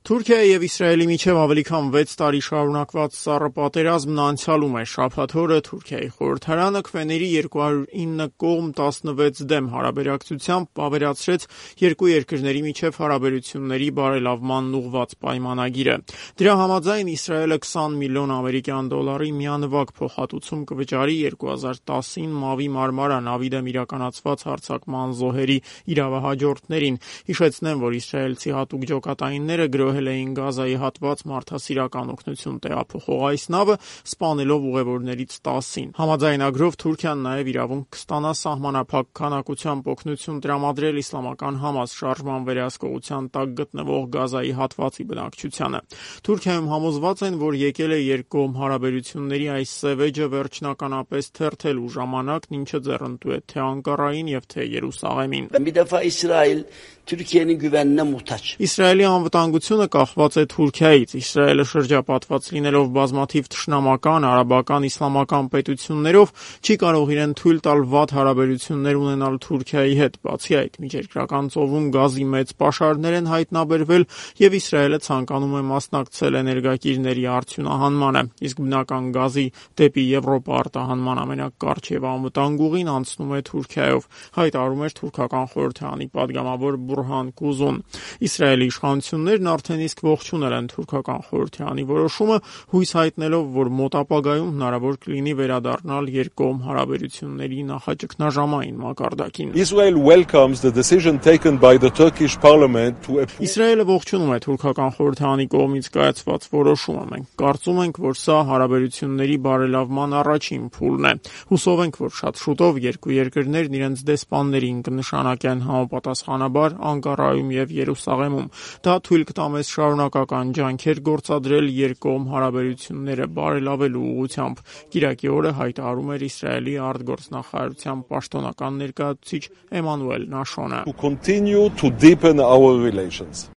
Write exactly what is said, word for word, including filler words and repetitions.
Թուրքիայի եւ Իսրայելի միջև ավելի քան վեց տարի շարունակված սառը պատերազմն անցյալում է։ Շաբաթ օրը Թուրքիայի խորհրդարանը քվեների երկու հարյուր ինը կողմ տասնվեց դեմ հարաբերակցությամբ ավերացրեց երկու երկրների միջև հարաբերությունների բարելավմանն ուղղված պայմանագիրը։ Դրա համաձայն Իսրայելը քսան միլիոն ամերիկյան դոլարի միանվագ փոխհատուցում կվճարի երկու հազար տասին Մավի մարմարա նավի դեմ իրականացված հարձակման զոհերի իրավահաջորդներին։ Հիշեցնեմ, որ իսրայելցի հատուկ ջոկատայինները գրոհել էին Գազայի հատված մարդասիրական օգնություն տեղափոխող այս նավը, սպանելով ուղևորներից տասին։ Համաձայնագրով Թուրքիան նաև իրավունք կստանա սահմանափակ քանակությամբ օգնություն տրամադրել իսլամական Համաս շարժման վերահսկողության տակ գտնվող Գազայի հատվածի բնակչությանը։ Թուրքիայում համոզված են, որ եկել է երկկողմ հարաբերությունների այս սևեջը վերջնականապես թերթելու ժամանակն, ինչը ձեռնտու է թե Անկարային եւ թե Երուսաղեմին։ Bir defa İsrail Türkiye'nin güvenine muhtaç. Իսրայելի անվտանգությունը կախված է Թուրքիայից։ Իսրայելը շրջապատված լինելով բազմաթիվ թշնամական, արաբական, իսլամական պետություններով չի կարող իրեն թույլ տալ վատ հարաբերություններ ունենալ Թուրքիայի հետ։ Բացի այդ, Միջերկրական ծովում գազի մեծ պաշարներ են հայտնաբերվել եւ Իսրայելը ցանկանում է մասնակցել էներգակիրների արդյունահանմանը։ Իսկ բնական գազի դեպի Եվրոպա արտահանման ամենակարճ եւ անվտանգ ուղին անցնում է Թուրքիայով, հայտարարում էր թուրքական խորհրդարանի падգամավոր Բուրհան Կուզուն։ Իսրայելի իշխանություններն արդեն իսկ ողջունել են թուրքական խորհրդարանի որոշումը, հույս հայտնելով, որ մոտ ապագայում հնարավոր կլինի վերադառնալ երկկողմ հարաբերությունների նախաճգնաժամային մակարդակին։ Israel welcomes the decision taken by the Turkish parliament to Իսրայելը ողջունում է թուրքական խորհրդարանի կողմից կայացված որոշումը։ Մենք կարծում ենք, որ սա հարաբերությունների բարելավման առաջին փուլն է։ Հուսով ենք, որ շատ շուտով երկու երկրներն իրենց դեսպաններին կնշանակեն համապատասխանաբար Անկարայում եւ Երուսաղեմում։ Դա թույլ կտա մեզ շարունակական ջանքեր գործադրել երկկողմ հարաբերությունները բարելավելու ուղղությամբ, կիրակի օրը հայտարարում էր Իսրայելի արտգործնախարարության պաշտոնական ներկայացուցիչ Էմանուել Նաշոնը։ continue to deepen our relations.